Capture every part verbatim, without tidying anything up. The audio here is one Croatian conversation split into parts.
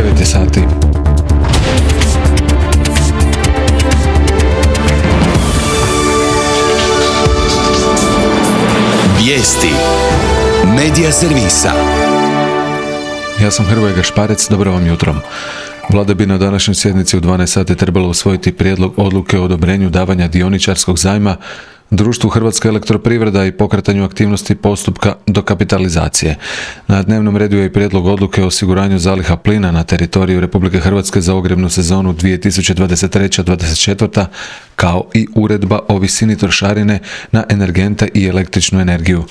devet je sati. Vijesti Medija servisa. Ja sam Hrvoje Gašparec, dobro vam jutro. Vlada bi na današnjoj sjednici u dvanaest sati trebala usvojiti prijedlog odluke o odobrenju davanja dioničarskog zajma društvu Hrvatska elektroprivreda i pokretanju aktivnosti postupka dokapitalizacije. Na dnevnom redu je i prijedlog odluke o osiguranju zaliha plina na teritoriju Republike Hrvatske za ogrjevnu sezonu dvije tisuće dvadeset treće dvadeset četvrta kao i uredba o visini trošarine na energente i električnu energiju.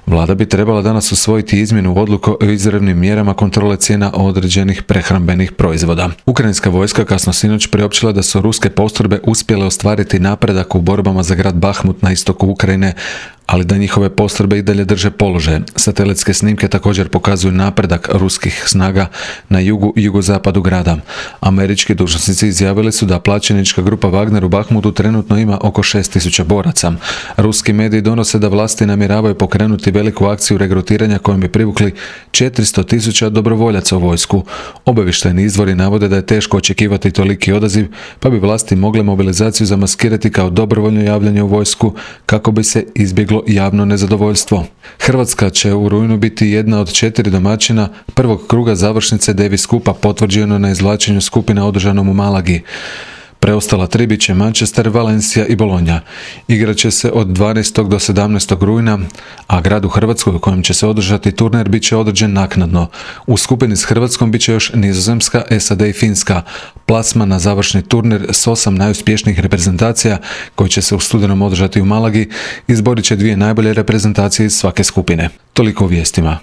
Vlada bi trebala danas usvojiti izmjenu odluke o izravnim mjerama kontrole cijena određenih prehrambenih proizvoda. Ukrajinska vojska kasno sinoć priopćila da su ruske postrojbe uspjele ostvariti napredak u borbama za grad Bahmut na istoku Ukrajine, ali da njihove postrojbe i dalje drže položaje. Satelitske snimke također pokazuju napredak ruskih snaga na jugu i jugozapadu grada. Američki dužnosnici izjavili su da plaćenička grupa Wagner u Bahmutu trenutno ima oko šest tisuća boraca. Ruski mediji donose da vlasti namjeravaju pokrenuti veliku akciju regrutiranja kojom bi privukli četiristo tisuća dobrovoljaca u vojsku. Obavještajni izvori navode da je teško očekivati toliki odaziv, pa bi vlasti mogle mobilizaciju zamaskirati kao dobrovoljno javljanje u vojsku kako bi se izbjeglo javno nezadovoljstvo. Hrvatska će u rujnu biti jedna od četiri domaćina prvog kruga završnice Davis Cupa potvrđeno na izvlačenju skupina održanom u Malagi. Preostala tri bit će Manchester, Valencia i Bologna. Igrat će se od dvanaestog do sedamnaestog rujna, a grad u Hrvatskoj u kojem će se održati turnir bit će određen naknadno. U skupini s Hrvatskom bit će još Nizozemska, S A D i Finska. Plasman na završni turnir s osam najuspješnijih reprezentacija koji će se u studenom održati u Malagi izborit će dvije najbolje reprezentacije iz svake skupine. Toliko u vijestima.